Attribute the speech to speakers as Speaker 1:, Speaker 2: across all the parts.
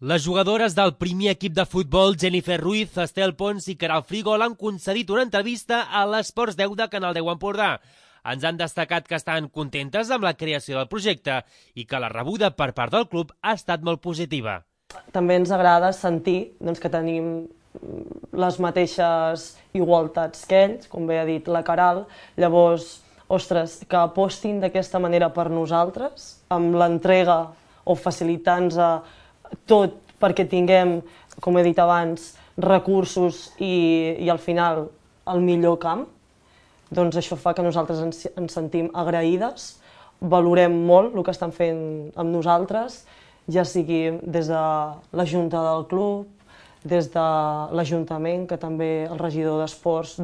Speaker 1: Les jugadores del primer equip de futbol, Jennifer Ruiz, Estel Pons i Queralt Frigol, han concedit una entrevista a l'Esports 10 de Canal 10 Empordà. Ens han destacat que estan contentes amb la creació del projecte i que la rebuda per part del club ha estat molt positiva.
Speaker 2: També ens agrada sentir que tenim les mateixes igualtats que ells, com bé ha dit la Queralt. Llavors, ostres, que apostin d'aquesta manera per nosaltres, amb l'entrega o facilitant-nos tot perquè tinguem, com he dit abans, recursos i al final el millor camp, doncs això fa que nosaltres ens sentim agraïdes, valorem molt el que estan fent amb nosaltres, ja sigui des de la Junta del club, des de l'Ajuntament, que també el regidor d'Esports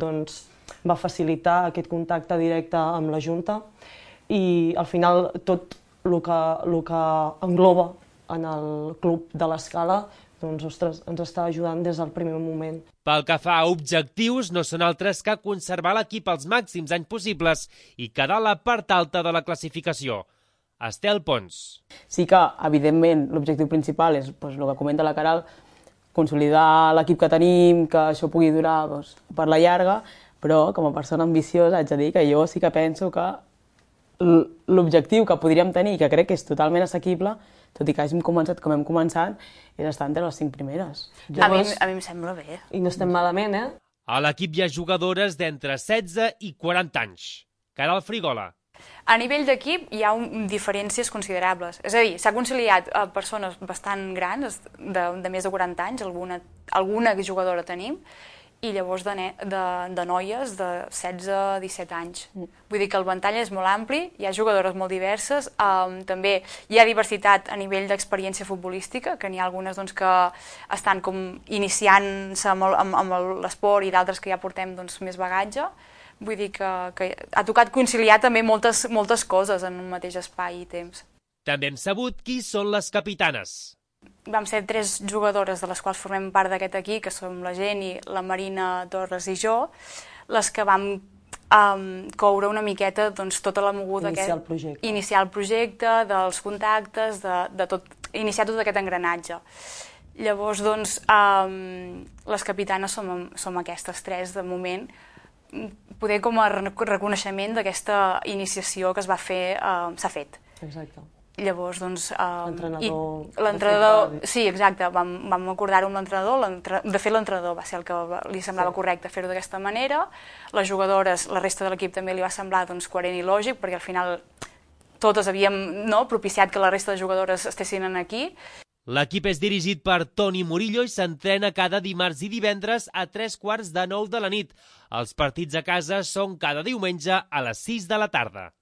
Speaker 2: va facilitar aquest contacte directe amb la Junta, i al final tot el que engloba en el club de l'Escala, ostres, ens està ajudant des del primer moment.
Speaker 1: Pel que fa a objectius, no són altres que conservar l'equip als màxims anys possibles i quedar a la part alta de la classificació. Estel Pons.
Speaker 3: Sí que, evidentment, l'objectiu principal és el que comenta la Queralt, consolidar l'equip que tenim, que això pugui durar per la llarga, però com a persona ambiciosa haig de dir que jo sí que penso que l'objectiu que podríem tenir, que crec que és totalment assequible, tot i que hàgim començat com hem començat, és estar entre les 5 primeres.
Speaker 4: A mi em sembla bé.
Speaker 2: I no estem malament, eh?
Speaker 1: A l'equip hi ha jugadores d'entre 16 i 40 anys. Queralt Frigol.
Speaker 4: A nivell d'equip hi ha diferències considerables. És a dir, s'ha conciliat a persones bastant grans, de més de 40 anys, alguna jugadora tenim, i llavors de noies de 16 a 17 anys. Vull dir que el ventall és molt ampli, hi ha jugadores molt diverses, també hi ha diversitat a nivell d'experiència futbolística, que n'hi ha algunes que estan com iniciant-se amb l'esport i d'altres que ja portem més bagatge. Vull dir que ha tocat conciliar també moltes coses en un mateix espai i temps.
Speaker 1: També hem sabut qui són les capitanes.
Speaker 4: Vam ser 3 jugadores de les quals formem part d'aquest equip, que som la Jenny, la Marina Torres i jo, les que vam coure una miqueta tota la moguda, iniciar el projecte, dels contactes, iniciar tot aquest engranatge. Llavors, les capitanes som aquestes 3 de moment, poder com a reconeixement d'aquesta iniciació que s'ha fet.
Speaker 2: Exacte.
Speaker 4: Llavors,
Speaker 2: l'entrenador...
Speaker 4: Sí, exacte, vam acordar-ho amb l'entrenador. De fet, l'entrenador va ser el que li semblava correcte fer-ho d'aquesta manera. Les jugadores, la resta de l'equip també li va semblar coherent i lògic, perquè al final totes havíem propiciat que la resta de jugadores estessin aquí.
Speaker 1: L'equip és dirigit per Toni Murillo i s'entrena cada dimarts i divendres a 3:15 de 9 de la nit. Els partits a casa són cada diumenge a les 6 de la tarda.